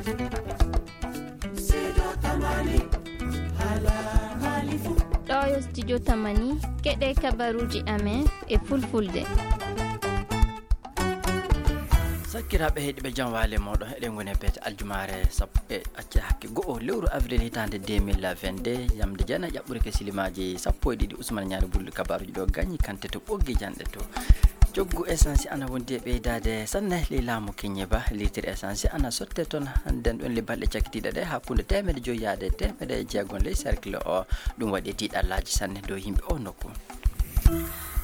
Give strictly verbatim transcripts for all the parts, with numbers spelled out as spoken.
Ɗoo yo studio Tamani, keɗee kabaruuji amen e fulfulde. Sakkiraaɓe heɗiiɓe, jam waale mooɗon. Eɗen ngoni e beete aljumaare sappo e acca hakke go'o lewru avril hitaande deux mille vingt-deux, yamde jeenayi ƴaɓɓude ke silimaaji sappo e ɗiɗi. Usman Ñaari Bulɗi kabaaruuji ɗoo gañi kante to ɓoggi janɗe to. Coggu essence ana wondi e ɓeydaade sanne ley laamu Keñeba. Liitiri essence ana sotte toon hannden ɗoon le balɗe cakkitiiɗe ɗe hakkunde teemedde joy yaade teemedde jeegom ley cercle o. Ɗum waɗi tiiɗallaaji sanne dow yimɓe oo nokku.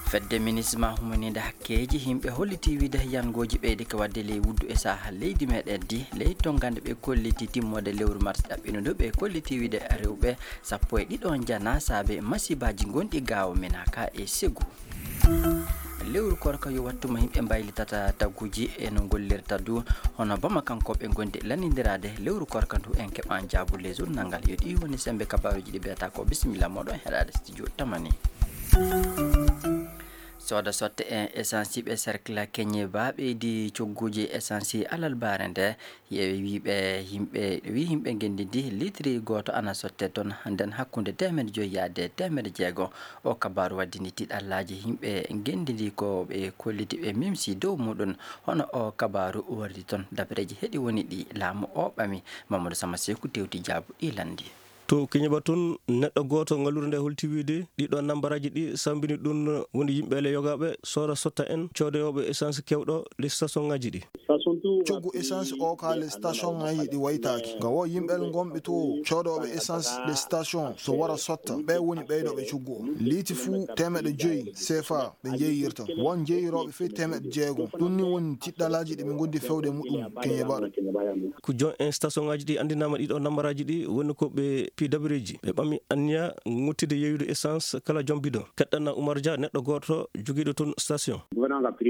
Fedde minisma humaniinde hakkeeji yimɓe hollitii wiide yangooji ɓeydike waɗde ley wuddu e saha leydi meɗen di. Ley tonngande ɓe kolliti timmoode lewru mars ɗaɓɓino ndu, ɓe kolliti wiide rewɓe sappo e ɗiɗo njana saabe masibaaji gonɗi gaawo Menaka e Segu. Lewru korka yo wattu mo yimɓe mbaylitata taguuji e no ngollirta du, hono Bamakankooɓe ngondi lanndindiraade lewru korka ndu. En keɓan jaabulle journal ngal. Yo ɗi woni sembe kabaaruuji ɗi mbiyata ko. Bisimilla mooɗon heɗaade studio Tamani. Sooda sotte en essence ɓe cercle Keñeba ɓeydi cogguuji essence alalbaare nde. Yeewi wiiɓe yimɓe, wi yimɓe ngenndi ndi, litiri gooto ana sotte toon nden hakkunde teemedde joy yaade teemedde jeego. O kabaaru waddini tiiɗallaaji yimɓe ngenndi ndi ko ɓe kolliti ɓe mimsi dow muɗum. Hono o kabaaru wardi toon, dabareeji heɗi woni ɗi laamu o ɓami. Mamadou Sama Seku tewti jaabu ɗi lanndi. To Keñeba tun, neɗɗo gooto ngalluure nde holti wiide ɗiɗo nambaraaji ɗi sambini ɗun woni yimɓe le yogaaɓe soora sotta en coodoyooɓe essence kewɗo le station ŋaaji ɗi. Coggu essence o ka le station ŋaaji ɗi waytaaki. Nga wo yimɓe le ngonɓe to coodoyooɓe essence le station so wara sotta. Ɓe woni ɓeydooɓe coggu o. Liiti fuu teemeɗɗe joy sefa ɓe njeeyirta. Won njeeyirooɓe fey teemeɗɗe jeegom. Ɗun ni woni tiiɗalaaji ɗi ɓe ngondi fewde muɗum Keñeba ɗo. Ko joom en station ŋaaji ɗi anndinaama ɗiɗo nambaraaji ɗi woni ko ɓe pii dabareeji. Ɓe ɓami anniya ŋottide yeeyude essence kala joom bidon. Keɗɗana Umar Dia, neɗɗo gooto jogiiɗo toon station.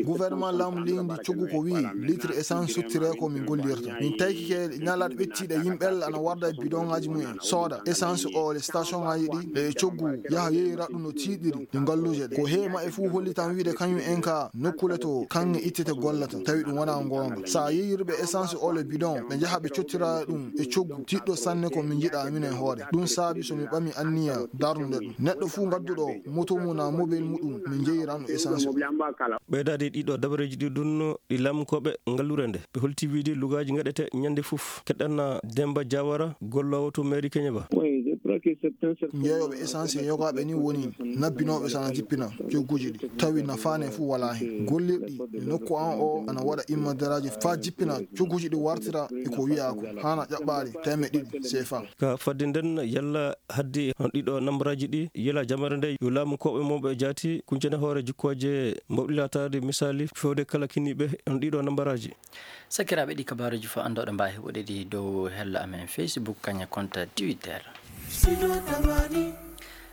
Gouvernement laamu leydi coggu ko wi'i litre essence sottiree ko min gollirta. Min taykike ñalaɗe ɓettiiɗe yimɓe ana warda e bidon ŋaaji mumen sooda essence o le station ŋaaji ɗi e coggu yaha yeeyira ɗum no tiiɗiri. Ɗi ngalluuje ɗe. Ko heewi maɓɓe fuu hollitan wiide kañum en ka nokkule to kaŋŋe ittete gollata, tawi ɗum wonaa goonga. So a yeeyirɓe essence o le bidon, ɓe njaha ɓe cottira ɗum e coggu tiiɗɗo sanne ko min njiɗaa minen hoore. Ɗum saabi so mi ɓami anniya darnude ɗum. Neɗɗo fuu ngadduɗo moto mum naa mobile muɗum, min njeyiran ɗum essence o. Ɓeydaade ɗiɗo dabareeji ɗi ɗun ɗi laamunkooɓe ngalluure nde. Ɓe holti wiide lugaaji ngaɗete ñannde fof. Keɗɗanna Demba Diawara, golloowo to mairie Keñeba. Jeeyooɓe essence e yogaaɓe ni woni nabbinooɓe sana jippina cogguuji ɗi. Tawi nafaane fuu walaa hen. Gollirɗi e nokku an o ana waɗa immadaraaji faa jippina cogguuji ɗi wartira e ko wi'aa ko haana ƴaɓɓaade teemeɗɗe ɗiɗi sefa. Ka fadde nden yalla haddi on ɗiɗo nambaraaji ɗi yela jamare nde yo laamunkooɓe mawɓe jaati kuncene hoore jikkooje mbawɗi laataade misaali fewde kala kiniiɓe on ɗiɗo nambaraaji. Sakiraaɓe, ɗi kabaaruuji fof anndooɗo mbaawi heɓude ɗi dow hello amen Facebook, kañum e compte Twitter.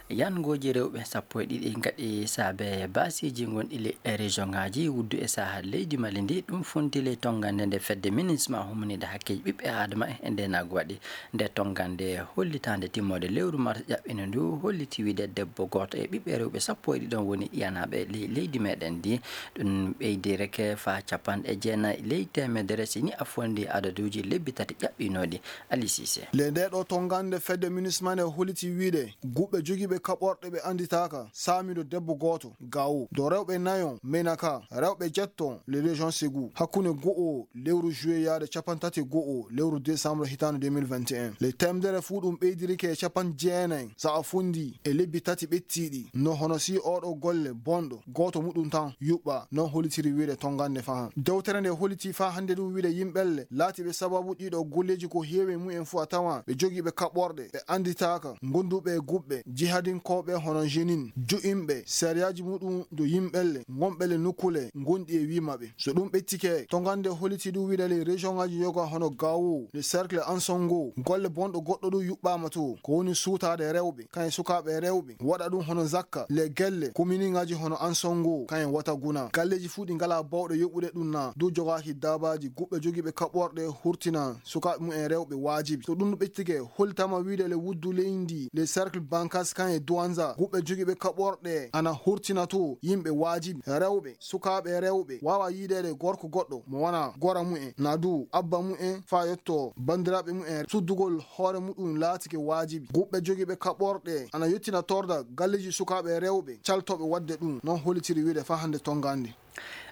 Yangooji rewɓe sappo e ɗiɗi ngaɗi saabe baasiiji gonɗi ley e région ŋaaji wuddu e saha leydi Mali ndi. Ɗum fonti ley tonngande nde fedde minisma humaniinde hakkeeji ɓiɓɓe aadama e ndeenaagu waɗi. Nde tonngande hollitaande timmoode lewru mars ƴaɓɓino ndu holliti wiide debbo gooto e ɓiɓɓe rewɓe sappo e ɗiɗon woni ɗiyanaaɓe ley leydi meɗen ndi. Ɗum ɓeydi reke faa capanɗe jeenayi ley teemedere si ni a fonndii adaduuji lebbi tati ƴaɓɓinooɗi. Ali Sise. Le ndee ɗoo tonngande fedde minisma nde holliti wiide guɓɓe jogiiɓe kaɓorɗe ɓe annditaaka saamiiɗo debbo gooto Gawo. Dow rewɓe nayo Menaka, rewɓe jetto le région Ségou. Hakkunde go'o lewru juillet yaade cappanɗe tati e go'o lewru décembre hitaande deux mille vingt et un. Le teemedere fuu ɗum ɓeydirike e cappanɗe jeenayi so a fonndii e lebbi tati ɓettiiɗi. No hono si ooɗoo golle bonɗo gooto muɗum tan yuɓɓaa, non hollitiri wiide tonngande fahan. Dewtere nde hollitii faa hannde ɗum wiide yimɓelle laatiiɓe sababu ɗiɗo golleeji ko heewi e mumen fuu a tawan ɓe jogiiɓe kaɓorɗe, ɓe annditaaka, gonduɓe e guɓɓe, jihadinkooɓe hono Jenin, jo'inɓe sariyaaji muɗum dow yimɓelle, ngonɓe le nokkule ngonɗi e wii maɓɓe. So ɗum ɓettike, tonngande holliti ɗum wiide le région ŋaaji yoga hono Gawo, le cercle Ansongo, golle bonɗo goɗɗo ɗum yuɓɓaama to, ko woni suutaade rewɓe, kañum sukaaɓe rewɓe, waɗa ɗum hono Zakka, le gelle, kominiŋaaji hono Ansongo, kañum Wataguna. Galleeji fuu ɗi ngalaa baawɗo yoɓude ɗum naa, dow jogaaki daabaaji, guɓɓe jogiiɓe kaɓorɗe hurtina sukaaɓe mumen rewɓe waajibi. So ɗum ɓettike, holtama wiide le wuddu leydi, le cercle Bankas, kañum e Douentza. Guɓɓe jogiiɓe kaɓorɗe ana hurtina too yimɓe waajibi, rewɓe, sukaaɓe rewɓe, waawaa yiideede gorko goɗɗo mo wanaa goora mumen, naa duu abba mumen, faa yottoo banndiraaɓe mumen. Suddugol hoore muɗum laatike waajibi. Guɓɓe jogiiɓe kaɓorɗe ana yottina torda galleeji sukaaɓe rewɓe caltooɓe waɗde ɗum, non hollitiri wiyde faa hannde tonngaande.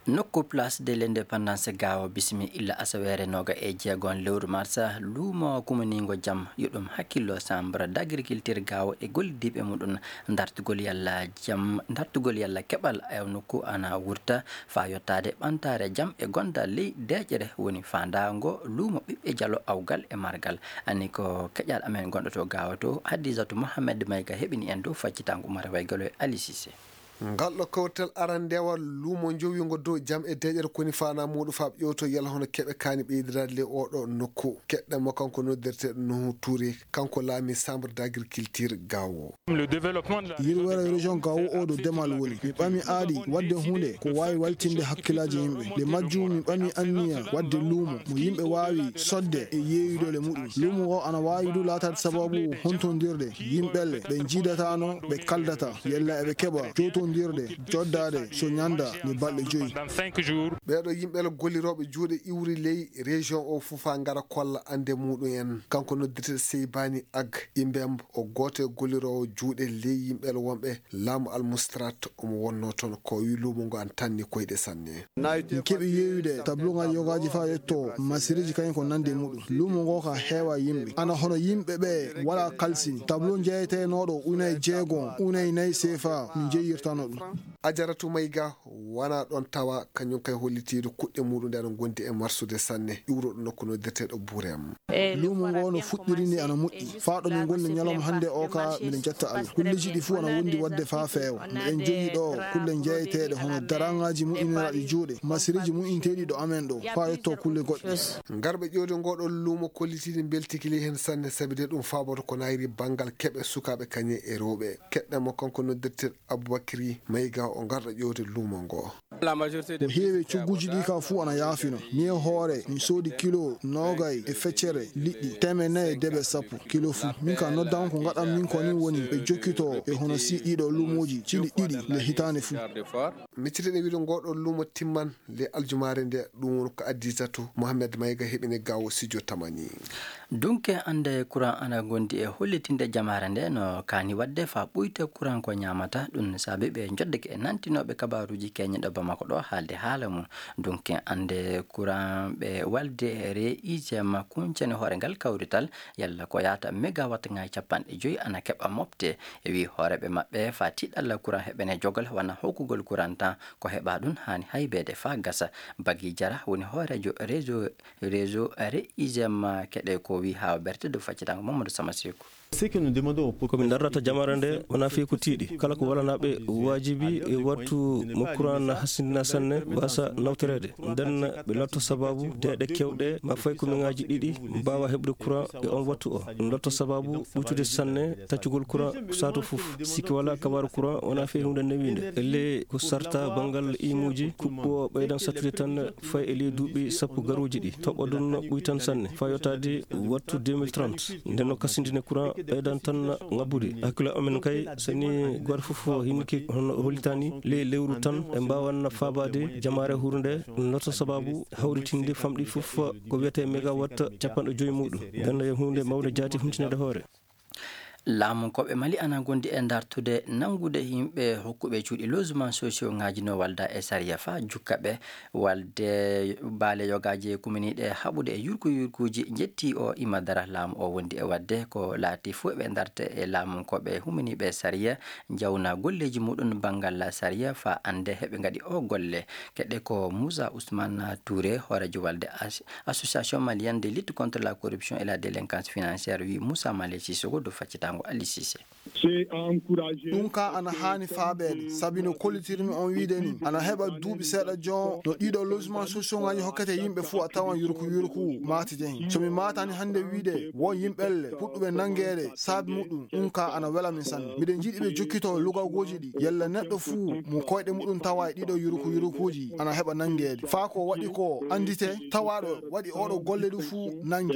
Nokku Place de l'Indépendance Gaawo, bismi illa asaweere nooga e jeegon lewru marsa, luumo kumaniingo jam, yo ɗum hakkillo Chambre d'Agriculture Gaawo e gollidiiɓe muɗum, dartugol yalla jam, dartugol yalla keɓal e nokku ana wurta faa yottaade ɓantaare jam e gondal ley deeƴere woni faandaango luumo ɓiɓɓe jalo awgal e margal. Ani ko keƴal amen gonɗo to Gaawo to, Hadisatu Mohamed Mayga heɓini en dow faccitaango Umar Waygalo e Ali Cissé. Ngal ɗo kawrital arandewal luumo njowiingo dow jam e deeƴere koni faanaa muuɗum faa ɓe ƴeewtoo yalla hono keɓe kaani ɓeydiraade ley oo ɗoo nokku. Keɗɗen mo kanko noddirteeɗo Nuhu Tuure, kanko laamii Chambre d'Agriculture Gaawo. Yirwere région Gaawo oo ɗo demal woni. Mi ɓami aadi waɗde huunde ko waawi waltinde hakkillaaji yimɓe. Nde majjum mi ɓami anniya waɗde luumo mo yimɓe waawi sodde e yeeyude le muɗum. Luumo ngo ana waawi du laataade sababu hontondirde yimɓelle ɓe njiidataano, ɓe kaldata yalla eɓe keɓa jootondirde, joddaade so ñanda ni balɗe joyi. Ɓee ɗoo yimɓe gollirooɓe juuɗe iwri ley région oo fof faa ngara kolla annde muɗum en. Kanko noddirteeɗo Seybani Ag Imbembo, o gooto e golliroowo juuɗe ley yimɓe wonɓe laamu Almustrat, omo wonnoo toon. Ko o wii luumo ngo ana tanni koyɗe sanne. Min keɓi yeeyude tableau ŋaaji yogaaji faa yetto masiriji kañum ko nandi e muɗum. Luumo ngo ka heewa yimɓe. Ana hono yimɓe ɓe wala kalsini. Tableau jeeyetenooɗo ujunaaji jeegom, ujunaaji nayi seefa min jeeyirtano ɗum. Ajaratu Mayga wonaa ɗoon tawa, kañum kay hollitiiɗo kuɗɗe muɗum ɗe ana ngondi e marsude sanne, iwruɗo nokku noddirteeɗo Burem. Luumo ngo no fuɗɗiri ni ana moƴƴi. Faa ɗo min ngoni ñalawma hannde o ka, miɗen jetta Allah. Kulleeji ɗi fuu ana wondi waɗde faa feewa. Miɗen jogii ɗo kulle jeeyeteeɗe hono daraŋaaji moƴƴiniraaɗi juuɗe, masiriji moƴƴinteeɗi ɗo amen ɗo, faa yetto kulle goɗɗe. Ngarɓe ƴeewde ngoo ɗoo luumo kollitiiɗi mbeltike ley heen sanne, sabi de ɗum faaboto ko naayri banngal keɓe sukaaɓe kañe e rewɓe. Keɗɗen mo kanko noddirteeɗo Abubakri Mayga, o ngarɗo ƴeewde luumo ngo. Ko heewi e cogguuji ɗi ka fuu ana yaafino. Min e hoore, mi soodi kilo noogay e feccere liɗɗi, teemedde nayi e debe sappo kilo fuu. Min ka noddaama ko ngaɗan min ko ni woni ɓe jokkitoo e hono si ɗiɗo luumooji cili ɗiɗi le hitaande fuu. Miccitiiɗen wiide ngoo ɗoo luumo timman le aljumaare nde, ɗum woni ko Adisatu Mohamed Mayga heɓini Gaawo Sijo Tamani. Dunke annde kuran ana gondi e hollitinde jamaare nde no kaani waɗde faa ɓuyta kuran ko ñaamata. Ɗum saabi ɓe njoddake e nantinooɓe kabaaruuji keñeɗo Bamako ɗo haalde haala mum. Dunke annde kuran ɓe walde e re isema kuncani hoore ngal kawrital yalla ko yaata megawatt ŋaaji capanɗe joyi ana keɓa mofte. E wii hooreeɓe maɓɓe faa tiiɗalla kuran heɓene jogal wana hokkugol kuran tan ko heɓa ɗum haani haybeede faa gasa. Bagi Jara woni hooreejo réseau, réseau Reisem keɗe ko wii haa o berte dow faccitango Mamadou Sama Seku. Ko min darrata jamaare nde wonaa fii ko tiiɗi. Kala ko walanaaɓe waajibi e wattu mo kuran na hasindina sanne wasa nawtoreede. Nden ɓe lotto sababu deeɗe kewɗe ma fay ko miŋaaji ɗiɗi mbaawa heɓde kuran e on wattu o. Ɗum lotto sababu ɓuytude sanne taccugol kuran saatu fof. Sikke walaa kabaaru kuran wonaa fii huunde newiinde. Ellee ko sarta banngal imuuji kuɓɓo ɓeydan sattude tan fay e ley duuɓi sappo garooji ɗi. Toɓɓo ɗum ɓuytan sanne faa yottaade wattu deux mille trente. Nden no kasindine kuran ɓeydan tan ŋabbude. Hakkilo amen kay, so ni gooto fof hinki hono hollitani ley lewru tan, ɓe mbaawan faabaade jamaare huurnde, noto sababu hawritinde famɗi fof ko wiyetee megawatt capanɗe joy muɗum. Nden no huunde mawnde jaati huntinede hoore. Laamunkooɓe Mali ana ngondi e dartude nanngude yimɓe hokkuɓe cuuɗi logement sociaux ŋaaji no walda e sariya faa jukka ɓe. Walde baale yogaaji kuminiiɗe haɓude e yurku yurkuuji njetti o ima dara laamu o wondi e waɗde ko laati fuu eɓe ndarta e laamunkooɓe huminiiɓe sariya, njawna golleeji muɗum banngal sariya faa annde heɓe ngaɗi o golle. Keɗe ko Moussa Ousmane Touré, hooreejo walde as-, Association Malienne de Lutte contre la Corruption et la Délinquance Financière, wi Moussa Malé Sissoko dow faccitaango Ali Cissé. Ɗum kaa ana haani faabeede, sabi no kollitirmi on wiide nii, ana heɓa duuɓi seeɗa jon no ɗiɗo logement sociaux ŋaaji hokkete yimɓe fuu a tawan yurku yurku maatite hen. So mi maatani hannde wiide won yimɓelle puɗɗuɓe nanngeede saabi muɗum, ɗum kaa ana wela min sanne. Miɗen njiɗi ɓe jokkitoo lugagooji ɗi, yalla neɗɗo fuu mo koyɗe muɗum tawa e ɗiɗo yurku yurkuuji ana heɓa nanngeede. Faa ko waɗi ko anndite, tawaaɗo waɗi oɗo golle ɗum fuu nannge.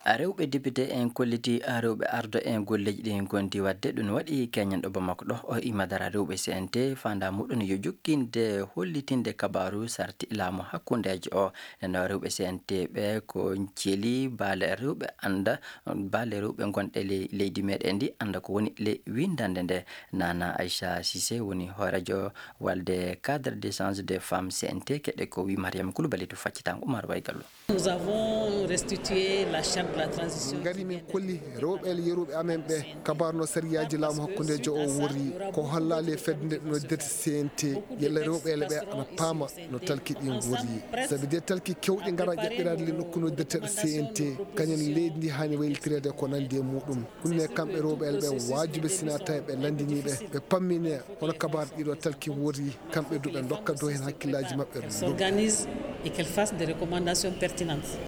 Rewɓe depite en kolliti rewɓe ardo en golleeji ɗi ngonti waɗde. Ɗum waɗi keñen ɗo Bamako ɗo, o imadara rewɓe C N T, faandaa muɗum yo jokkinde hollitinde kabaaru sarti laamu hakkundeejo o. Nden rewɓe C N T ɓe ko celi baale rewɓe annda, baale rewɓe ngonɗe ley leydi meɗen ndi annda ko woni ley winndande nde. Nana Aïcha Cissé woni hooreejo walde cadre d'échange des femmes C N T, keɗe ko wi Mariam Koulibaly to faccitango Oumar Waygallo. Nous avons restitué la charte de la transition. Ngari min kolli rewɓe yeruɓe amen ɓe kabaru no sariyaaji laamu hakkundeejo o worri, ko hollaali e fedde nde no dirti C N T, yalla rewɓe ɓe ana paama no talki ɗin worri. Sabi de talki kewɗi ngara ƴaɓɓiraade le nokku no dirteɗo C N T, kañum leydi ndi haani waylitireede ko nandi e muɗum. Ɗum ne kamɓe rewɓe ɓe waajiɓe sina tawi ɓe lanndinii ɓe, ɓe pammine hono kabaru ɗiɗo talki worri, kamɓe du ɓe ndokka dow heen hakkillaaji maɓɓe. S'organise et qu'elle fasse des recommandations pertinentes.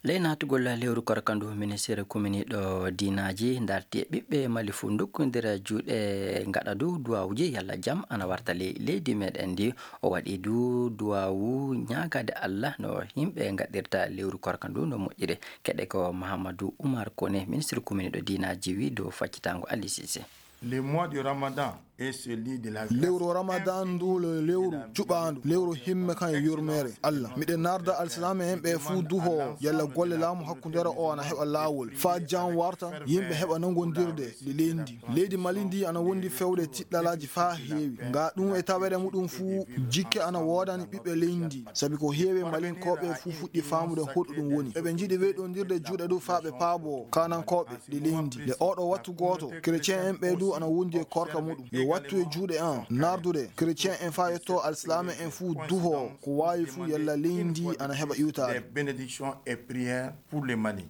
Ley naatugol lewru korka ndu, ministeeru kominiiɗo diinaaji darti e ɓiɓɓe Mali fuu ndokkondira juuɗe, ngaɗa du duwaawuji yalla jam ana warta ley leydi meɗen ndi. O waɗi du duwaawu ñaagaade Alla no yimɓe ngaɗirta lewru korka ndu no moƴƴiri. Keɗe ko Mahamadou Oumar Koné, ministre kominiiɗo diinaaji, wi dow faccitango Ali Cissé. Le mois du Ramadan est celui de la grâce. Lewru Ramadan ndu le-, lewru cuɓaandu, lewru himme kan yurmeere Alla. Miɗen narda alsilaame en ɓe fuu duho yalla golle laamu hakkundeere o ana heɓa laawol. Faa jam warta, yimɓe heɓa nangondirde ɗi leydi. Leydi Mali ndi ana wondi fewde tiɗɗalaaji faa heewi. Nga ɗum e taweede muɗum fuu, jikke ana woodani ɓiɓɓe leydi ndi. Sabi ko heewi Malinkooɓe fuu fuɗɗi faamude hoɗo ɗum woni. Eɓe njiɗi weeɗondirde juuɗe du faa ɓe paaboo kaanankooɓe ɗi leydi. Le oɗo wattu gooto, kerecen en ɓe du ana wondi e korka muɗum. Yo wattu e juuɗe an, nardude kerecen en faa yetto alsilaame en fuu duho ko waawi fuu yalla leydi ndi ana heɓa iwtaade. Des bénédictions et prières pour le Mali.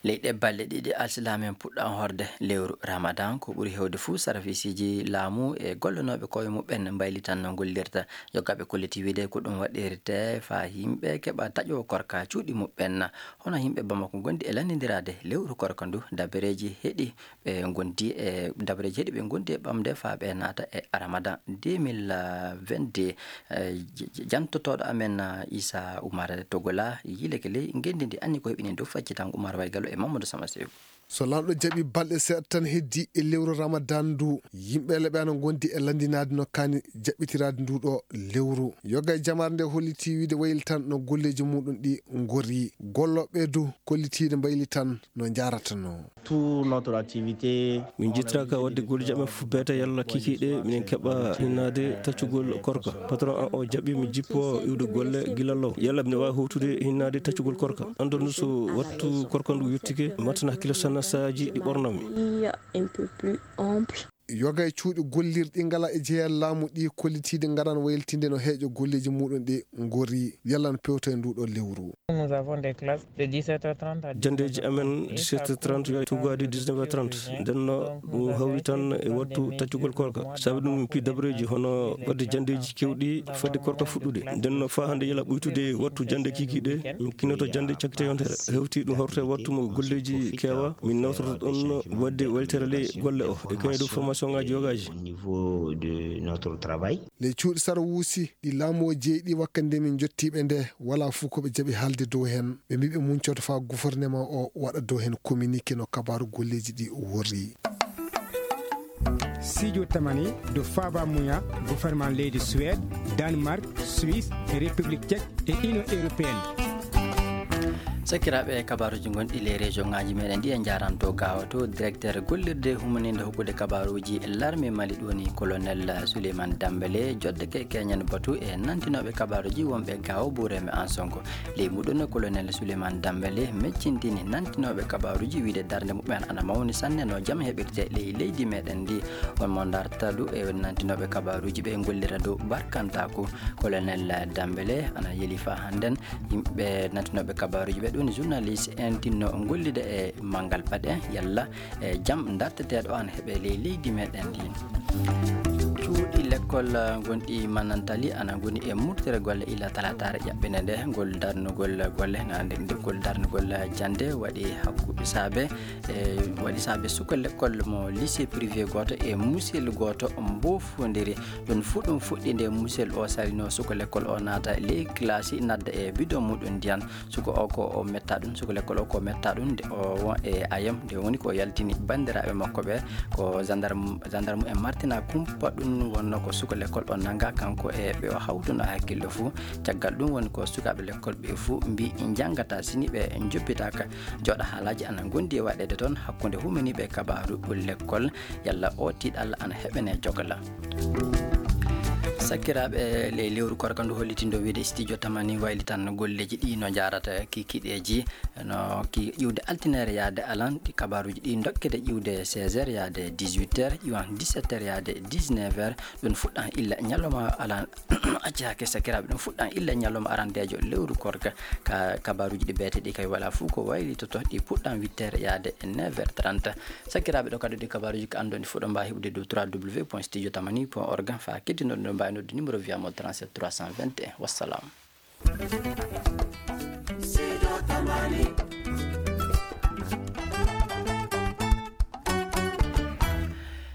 Ley ɗee balɗe ɗiɗi, alsilaame en puɗɗan horde lewru Ramadan. Ko ɓuri heewde fuu, sarafisiiji laamu e gollanooɓe koye muɓɓen mbaylitan no ngollirta. Yogaaɓe kolliti wiide ko ɗum waɗirte faa yimɓe keɓa taƴoo korka cuuɗi muɓɓen. Hono yimɓe Bamako ngondi e lanndindiraade lewru korka ndu, dabareeji heɗi ɓe ngondi e, dabareeji heɗi ɓe ngondi e ɓamde faa ɓe naata e Ramadan deux mille vingt-deux. Eh, j-, j-, jantotooɗo amen, ah, Issa Oumar Togola, yiileke ley ngenndi ndi, anni ko heɓini dow faccitango Oumar Waygallo e Mamadou Sama Seydou. So Laamɗo jaɓi, balɗe seeɗa tan heddi e lewru Ramadan ndu, yimɓe leɓe ana ngondi e lanndinaade no kaani jaɓɓitiraade ndu ɗo lewru. Yoga e jamaare nde holliti wiide wayli tan no golleeji muɗum ɗi ngori. Gollooɓe du kollitiiɗe mbayli tan no njaaratanoo. Tout notre activité. Min njittiraaka waɗde golleeji amen fof beete yalla kikiiɗe, minen keɓa hinnaade taccugol korka. Patron an o jaɓi mi jippo iwde golle gila law. Yalla mine waawi howtude hinnaade taccugol korka. Anndon so wattu korka ndu yottike, mi wattana hakkille sanne saaji ɗi ɓornammi. Il y a un peu plus ample. Yoga e cuuɗi gollirɗi ngala e jeyal laamu ɗi kollitiiɗi ngaran waylitinde no heeƴo golleeji muɗum ɗi ngori. Yalla no pewto e ndu ɗo lewru. Nous avons des classes de dix-sept heures trente à Janndeeji amen dix-sept heures trente yo tugaade dix-neuf heures trente. Nden no ɗum hawri tan e wattu taccugol korka. Sabi ɗum min pii dabareeji hono waɗde janndeeji keewɗi fadde korka fuɗɗude. Nden no faa hannde yala ɓuytude wattu jannde kiikiiɗe, min kinnoto jannde cakkite yontere. Hewti ɗum hawrete wattu mo golleeji keewa, min nawtoto ɗon waɗde weltere ley golle o e kaydu formation ŋaaji yogaaji. Au niveau de notre travail. Ley cuuɗi sarawuusi ɗi laamu o jeyi ɗi, wakkati nde min njottii ɓe nde, walaa fuu ko ɓe jaɓi haalde dow heen. Ɓe mbii ɓe muncoto faa gouvernement o waɗa dow heen communiqué no kabaaru golleeji ɗi worri. Sijo tamani do faaba muya gouvernement leydi Suède, Danemark, Suisse, République Tchèque et Union Européenne. Sakiraaɓe, kabaaruuji gonɗi ley région ŋaaji meɗen ɗi en njaranto gaawato. Directeur gollirde humaninde hokkude kabaaruuji larme Mali ɗo ni colonel Souleymane Dambélé joddeke keñen batu e nantinooɓe kabaaruuji wonɓe gaawo Buureme Ansongo. Ley muɗum colonel Souleymane Dambélé meccintini nantinooɓe kabaaruuji wiide darnde muɓɓen ana mawni sanne no jam heɓirte ley leydi meɗen ndi. On mo darta du e nantinooɓe kabaaruuji ɓe gollira dow barkantaaku. Colonel Dambélé ana yeli faa hannden. Yimɓe nantinooɓe kabaaruuji ɓe ɗum journaliste en tinno gollida e manngal paɗe yalla e jam darteteeɗo ana heɓe ley leydi meɗen ndi. Cuuɗi lekkol gonɗi Manantali ana ngoni e murtere golle ila talataare ƴaɓɓinde nde. Ngol darnugol golle na nde, nde ngol darnugol jannde waɗi hakkunde saabe, e waɗi saabe suka lekkol mo lycée privé gooto e musel gooto mbofondiri. Ɗum fuu ɗum fuɗɗi nde musel o salino suka lekkol o naata ley classe, nadda e bidon muɗum ndiyan. Suka o ko o Metta ɗum, suka lekkol o ko metta ɗum, nde o won e ayam, nde woni ko yaltini banndiraaɓe makko ɓe, ko gendarme, gendarme en martina kumpa ɗum wonno ko suka lekkol o nanga kanko e ɓe o hawtuno hakkille fuu. Caggal ɗum woni ko sukaaɓe lekkol ɓe fuu mbi njangata sini ɓe njoppitaaka. Jooɗa haalaaji ana ngondi e waɗeede toon hakkunde humaniiɓe kabaaru lekkol, yalla o tiiɗalla ana heɓene jogla. Sakkiraaɓe, ley lewru korka ndu hollitindo wiide studio tamani waylitan golleeji ɗi no njaarata kikiɗeeji, no ki ƴiwde altineere yaade alan, ɗi kabaaruuji ɗi ndokkede ƴiwde seize heures yaade dix-huit heures, ƴiwan dix-sept heures yaade dix-neuf heures, ɗum fuɗɗan illa ñalawma alan, accaaki sakkiraaɓe, ɗum fuɗɗan illa ñalawma arandeejo lewru korka, ka kabaaruuji ɗi beete ɗi kay wala fuu ko waylitoto, ɗi puɗɗan huit heures yaade neuf heures trente. Sakkiraaɓe, ɗo kadi ɗi kabaaruuji ko anndon ɗi fuɗɗo mbaawi heɓude dow trois W point studio tamani point org, faa keddinoɗo ɗo mbaawi nodde numéro wiyaamo trente-sept trois cent vingt et un. Wassalam.